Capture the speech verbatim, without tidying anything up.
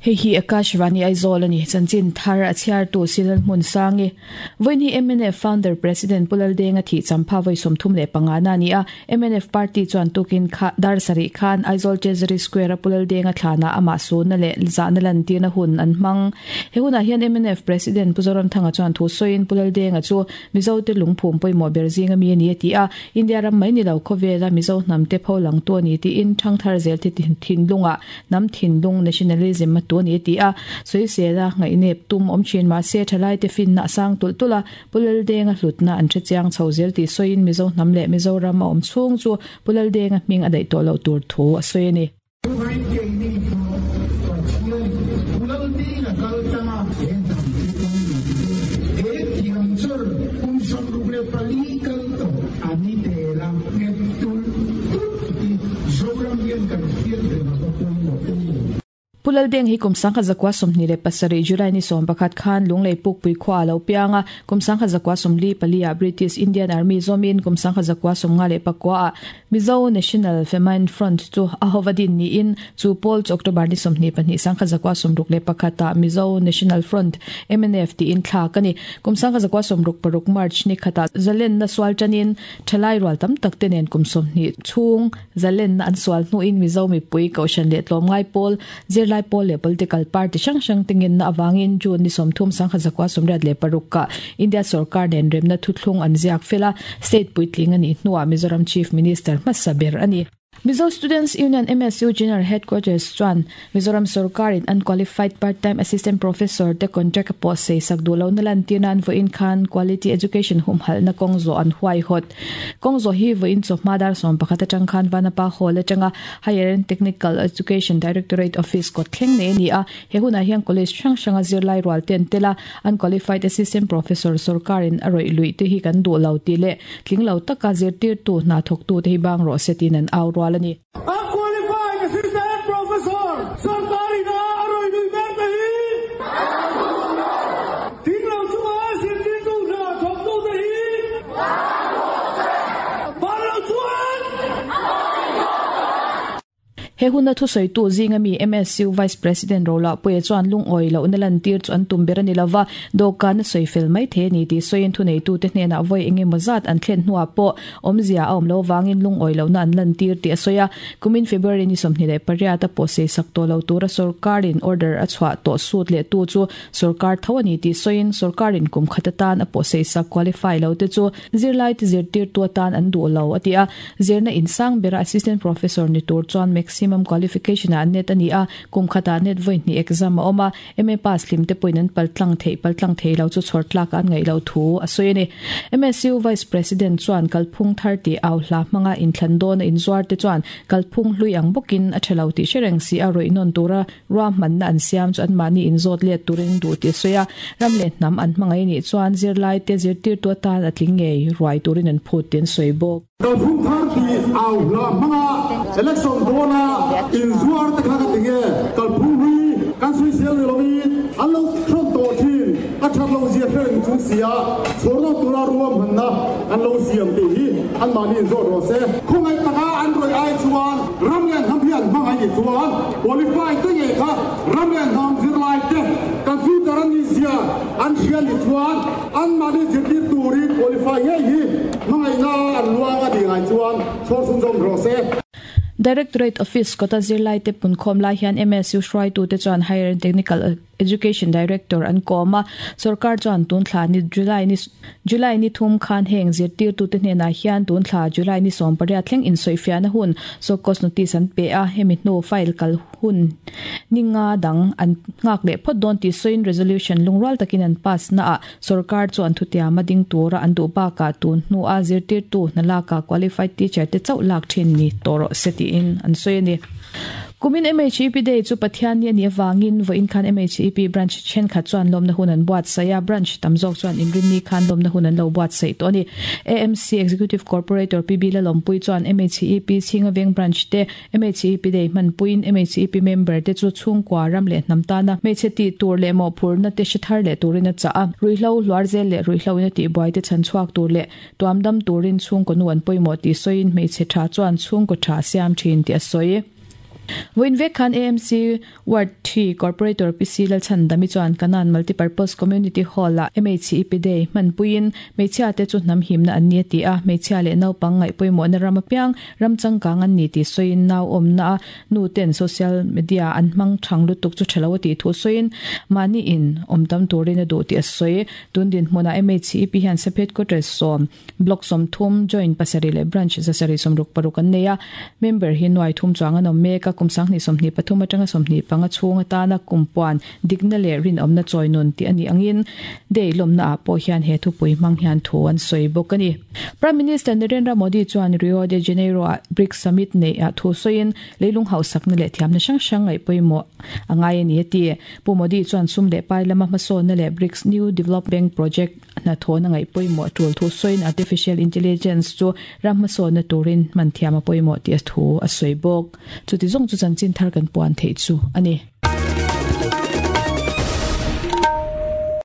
Hei hi Akashvani Aizawl ani chanchin thar a chhiar tu Silal Hmun Sangi voini M N F founder president Pulal Denga thi champha voi somthum le panga na ni a M N F party chuan tukin kha dar sari khan Aizawl Treasury Square a Pulal Denga thlana ama su na le zana lan tirna hun an hmang he huna hian M N F president Puzoram Thanga chuan thu soin Pulal Denga chu Mizo te lungphum poimo berzinga mi ani ti a India ram mai ni lo khowela Mizo hnam te pholang tu ani ti in thangthar zel ti thin lunga nam thin lung nationalism tu ni ti a soisela ngai nep tum om chin ma se thalai te fin na sang tul tula Pulal Denga hlutna an chiang chhozel ti soin Mizo hnam le Mizoram a om chung chu Pulal Denga hming adai to lo tur thu a soini Pulal Deng hi kum sangkha zakwa somni le pasari July ni som pakhat khan lunglei puk pui khwa lo pianga kum sangkha zakwa somli palia British Indian Army zomin kum sangkha zakwa somnga le pakwa Mizo National Famine Front chu ahovadin ni in chu pol October ni somni pani sangkha zakwa somruk le pakhata Mizo National Front M N F ti in thla kani kum sangkha zakwa somruk paruk March ni khata zalen na swal chanin thalai ral tam tak tenen kum somni chung zalen na an swal nu in Mizo mi pui kaushan le tlom ngai pol zir lai pol le political party sang sang tingin na awangin June ni somthum sangkha zakwa somriat le paruk ka India sarkar nen remna thuthlung an ziak fela state puitling ani hnuwa Mizoram Chief Minister Masaber ani Mizo Students Union M S U General Headquarters chuan Mizoram sarkar in unqualified part-time assistant professor te contract po sei sakdulo nalan tinan vo in khan quality education humhal na kongzo an huai hot kongzo hi vo in chokma dar som pakhat atang khan vanapa hall atanga Higher and Technical Education Directorate Office ko thleng ne ni a he huna hian college hrang hranga zirlai rual ten tela unqualified assistant professor sarkar in aroi lui te hi kan du lo ti le tling lo taka zirtir tu na thok tu te hi bang ro setin an aw rual Unqualified assistant professor sarkari na aroi lui ber te hi ting lo chunga zirtir tu na thok tu te hi bang lo chuan He huna thu soi tu zinga mi M S U Vice President Rola Puye chuan lung oi lo nalan tir chu an tum ber ani lova dokan soi fel mai the ni ti soin thu nei tu te hnena voi enge mozat an thlen hnuwa po omzia a om lo wangin lung oi lo na an lan tir ti soya kumin February ni somni le pariata po se sakto lo tura sarkarin order a chwa to sut le tu chu sarkar thawani ti soin sarkarin kum khatatan a po se sak qualify lo te chu zirlai ti zir tir tu tan an du lo atia zirna insang bera assistant professor ni tur chuan maximum qualification a net ani a kum khata net voi ni exam a oma M A pass lim te poinan paltlang thei paltlang thei lo chu chhortlak an ngai lo thu a soine M S U Vice President chuan kalphung thirty aw hla manga in thlandon in zuar te chuan kalphung hlui ang bokin a thelo ti shereng si a roi non tura ram man na an siam chu an mani in zot le turin du ti soya ramle nam an mangai ni chuan zirlai te zirtir tu tan atling ngei ruai turin an phut ten soibok kalphung thirty aw hla manga election dona in zuar te kha ka tinge kalphung hui kan sui sel ni lomi an lo thron to thin a that lo zia hereng chung sia chorno tura ruam hanna an lo siam te hi an mani in zot ro se khongai taka an roi ai chuan ramlian ham hian mangai ni chuan qualify te nge kha ramlian ham zirlai te computer an ni zia an hian ni chuan an mani zirtir turin qualify nge hi mangai na an luanga di ngai chuan chor sun jom ro se Directorate Office kota zirlai te punkhom lai hian M S U hruai tu te chuan Higher and Technical Education Director an koma sarkar chuan tun thla ni July ni July ni thum khan heng zirtir tu te hnena hian tun thla July ni som pariat thleng in soifiana hun so cost notice an pe a hemi hnu file kal hun ninga dang an ngak le phot don ti soin resolution lungral takin an pass na a sarkar chuan thutia mading tura an du ba ka tun hnu a zirtir tu nalaka qualified teacher te chau lak thin ni toro seti in an soini Kumin M H E P Day chu Pathian ni ani awangin vo in khan M H E P branch chen khat chuan lomna hun an buat saya branch tamzok chuan inrin ni khan lomna hun an lo buat sei to ni A M C Executive Corporator P B Lalompui chuan M H E P Chingaveng branch te M H E P Day man puin M H E P member te chu chhungkwa ram le hnamta na hmeichhe ti tur le mo phurna te shithar le turin a cha a ruihlo hluarzel le ruihlo in a ti buai te chanchhuak tur le tuamdam turin chhungkaw nu an pawimawh ti sawiin hmeichhe tha chuan chhungkaw tha siam thin ti a sawi. Voin vek khan A M C Ward three Corporator P C Lalchhandami chuan Kanan Multipurpose Community Hall a M H E P Day hman puiin hmeichhia te chu hnam himna an ni ti a, hmeichhia leh naupang ngaih pawimawh na ram apiang ram changkang an ni ti sawiin, nau awmna a nu ten social media an hmang thang lutuk chu thalo ti thu sawiin, mani in awm tam turin a duh ti a sawi. Tun din hmuna M H E P hian sub headquarters sawm, block som thum, joint pasari leh branch zasari somruk paruk an nei a, member hi nuai thum chuang an awm mek a. Kum sang ni sawmhnih pathum atanga sawmhnih panga chhung atana kumpuan dikna leh rinawmna chawi nun ti ani angin day lawmna ah pawh hian he thupui hmang hian thu an sawi bawk ani. Prime Minister Narendra Modi chuan Rio de Janeiro a BRICS Summit nei a thu sawiin, leilung hausakna leh thiamna hrang hrang ngaih pawimawh angai ani ati. Pu Modi chuan sum leh pai lama hmasawnna leh BRICS New Development Project hna thawna ngaih pawimawh tul thu sawiin, artificial intelligence chu ram hmasawnna turin man thiam a pawimawh ti a thu a sawi bawk. Chuti zawng chu chanchin thar kan puan thei chu ani.